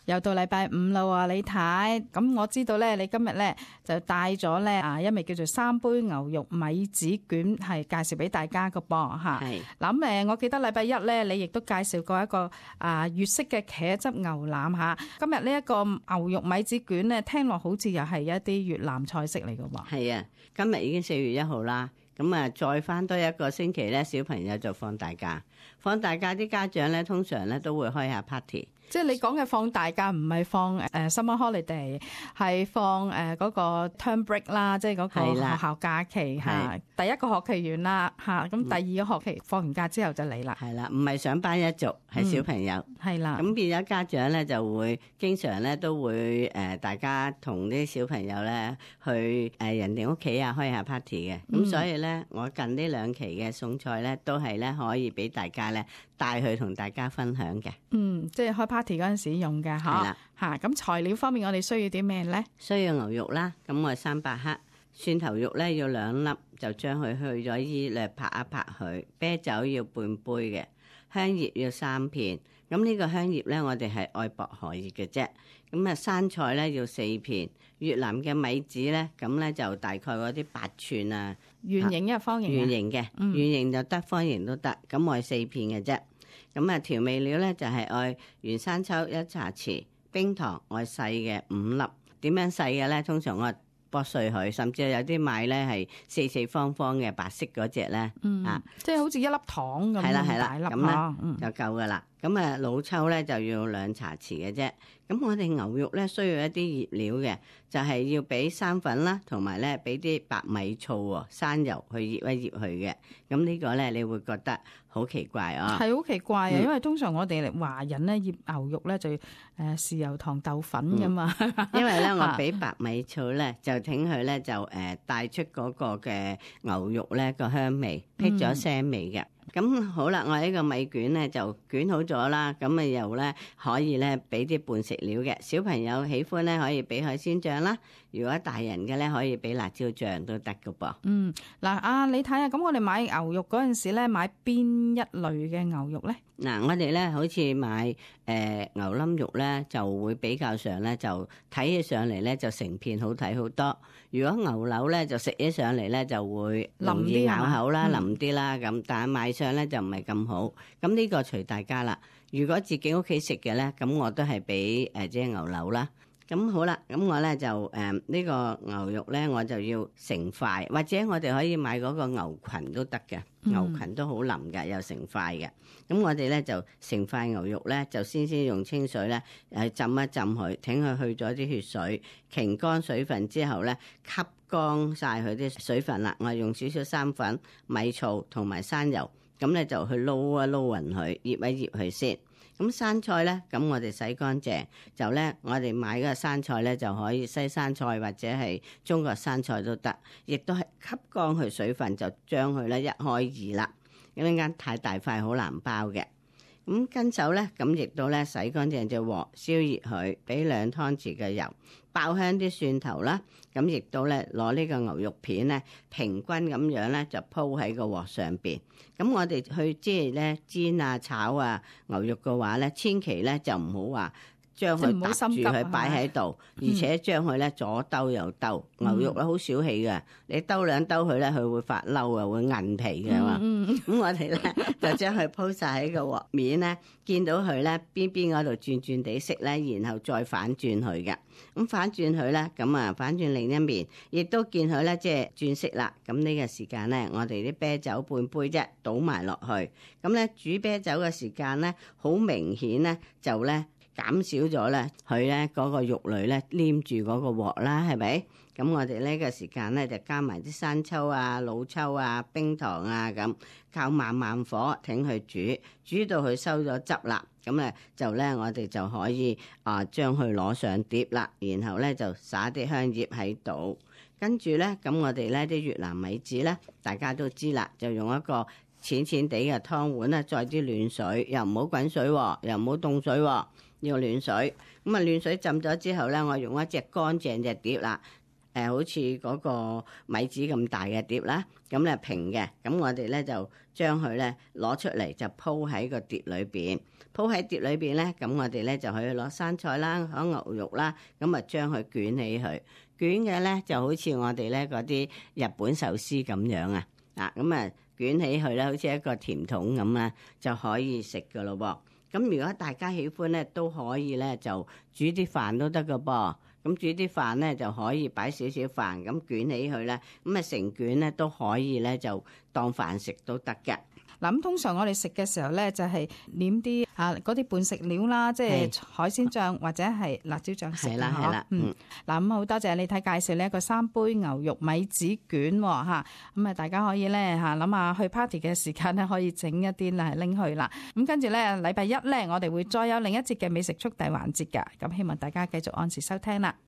又到禮拜五啦喎，李太。咁我知道咧，你今日咧就帶咗咧一味叫做3杯牛肉米紙卷，係介紹俾大家嘅噃嚇。係。咁我記得禮拜一咧，你亦都介紹過一個粵式嘅茄汁牛腩嚇。今日呢一個牛肉米紙卷咧，聽落好似又係一啲越南菜式嚟嘅喎。係啊，今日已經4月1號啦。咁再翻多一個星期咧，小朋友就放大假。放大假啲家長咧，通常咧都會開下 party。即係你講嘅放大假唔係放summer holiday， 係放嗰個 term break 啦，即係嗰個學校假期嚇。第一個學期完啦嚇，咁第二個學期放完假之後就嚟啦。係啦，唔係上班一族，係小朋友。係啦。咁變咗家長咧就會經常咧都會大家同啲小朋友咧去人哋屋企啊開下 party 嘅。咁所以咧，我近呢2期嘅餸菜咧都係咧可以俾大家咧帶去同大家分享嘅。即係開party 嗰陣時用嘅嚇。係啦。嚇，咁材料方面我哋需要啲咩咧？需要牛肉啦，咁我係300克。蒜頭肉咧要2粒，就將佢去咗衣略拍一拍佢。啤酒要半杯嘅，香葉要3片。咁呢個香葉咧，我哋係愛薄荷葉嘅啫。咁生菜咧要4片。越南嘅米紙咧，咁咧就大概嗰啲8寸啊，圓形一方形。圓形嘅，圓形就得，方形都得。咁我係4片嘅啫。咁調味料咧就係愛原生抽1茶匙，冰糖愛細嘅5粒。點樣細嘅咧？通常我剝碎佢，甚至有啲買咧係四四方方嘅白色嗰隻咧，即係好似一粒糖咁，係啦係啦，咁咧就夠噶啦。咁老抽咧就要2茶匙嘅啫。咁我哋牛肉咧需要一啲醃料嘅，就係要俾生粉啦，同埋咧俾啲白米醋、生油去醃一醃佢嘅。咁呢個咧你會覺得好奇怪啊？係好奇怪啊！因為通常我哋華人咧醃牛肉咧就豉油糖豆粉噶嘛。因為咧我俾白米醋咧就挺佢咧就帶出嗰個嘅牛肉咧個香味，辟咗腥味嘅。咁好啦，我呢個米卷咧就捲好咗啦，咁又咧可以咧俾啲伴食料嘅。小朋友喜歡咧可以俾海鮮醬啦，如果大人嘅咧可以俾辣椒醬都得噶噃。嗱你睇下，咁我哋買牛肉嗰陣時咧買邊一類嘅牛肉咧？嗱，我哋咧好似買牛冧肉咧就會比較上咧就睇起上嚟咧就成片好睇好多。如果牛柳咧就食起上嚟咧就會容易咬口啦，腍啲啦咁，但係賣相咧就唔係咁好。咁呢個隨大家啦。如果自己屋企食嘅咧，咁我都係俾即係牛柳啦。咁好啦，咁我咧就呢個牛肉咧我就要成塊，或者我哋可以買嗰個牛裙都得嘅，牛裙都好腍嘅，又成塊嘅。咁我哋咧就成塊牛肉咧就先用清水咧浸一浸佢，等佢去咗啲血水，擎乾水分之後咧吸乾晒佢啲水分啦。我用少少生粉、米醋同埋生油，咁咧就去撈一撈勻佢，醃一醃佢先。咁生菜咧，咁我哋洗乾淨，就咧我哋買嗰個生菜咧就可以西生菜或者係中國生菜都得，亦都係吸乾佢水分，就將佢咧1開2啦。咁陣間太大塊好難包嘅。咁跟手咧，咁亦都咧洗乾淨隻鑊，燒熱佢，俾2湯匙嘅油，爆香啲蒜頭啦。咁亦都咧攞呢個牛肉片咧，平均咁樣咧就鋪喺個鑊上邊。咁我哋去即係咧煎啊炒啊牛肉嘅話咧，千祈咧就唔好話將佢搭住佢擺喺度，而且將佢咧左兜右兜。牛肉咧好小氣嘅，你兜2兜佢咧，佢會發嬲啊，會韌皮嘅嘛。咁我哋咧就將佢鋪晒喺個鑊面咧，見到佢咧邊嗰度轉轉地色咧，然後再反轉佢嘅。咁反轉佢咧，咁反轉另一面，亦都見佢咧即係轉色啦。咁呢個時間咧，我哋啲啤酒半杯啫，倒埋落去。咁咧煮啤酒嘅時間咧，好明顯咧就咧減少咗咧，佢咧嗰個肉類咧黏住嗰個鑊啦，係咪？咁我哋呢個時間咧就加埋啲生抽啊、老抽啊、冰糖啊咁，靠慢火挺佢煮到佢收咗汁啦。咁咧就咧我哋就可以將佢攞上碟啦，然後咧就撒啲香葉喺度，跟住咧咁我哋咧啲越南米紙咧，大家都知啦，就用一個淺淺地嘅湯碗咧，再啲暖水，又唔好滾水，又唔好凍水，要暖水。咁暖水浸咗之後咧，我用一隻乾淨隻碟啦，好似嗰個米紙咁大嘅碟啦，咁咧平嘅，咁我哋咧就將佢咧攞出嚟就鋪喺個碟裏邊，鋪喺碟裏邊咧，咁我哋咧就可以攞生菜啦、攞牛肉啦，咁啊將佢捲起佢，捲嘅咧就好似我哋咧嗰啲日本壽司咁樣啊，咁啊捲起佢咧，好似一個甜筒咁啊，就可以食噶咯噃。咁如果大家喜歡咧，都可以咧就煮啲飯都得噶噃。咁煮啲飯咧就可以擺少少飯，咁捲起佢咧，咁啊成卷咧都可以咧就當飯食都得嘅。嗱，咁通常我哋食嘅時候咧，就係黏啲嗰啲伴食料啦，即係海鮮醬或者係辣椒醬食啦。係啦。嗱，咁好多謝你睇介紹呢一個3杯牛肉米紙卷嚇，咁啊大家可以咧嚇諗下去 party 嘅時間咧，可以整一啲嚟拎去啦。咁跟住咧禮拜一咧，我哋會再有另一節嘅美食速遞環節㗎。咁希望大家繼續按時收聽啦。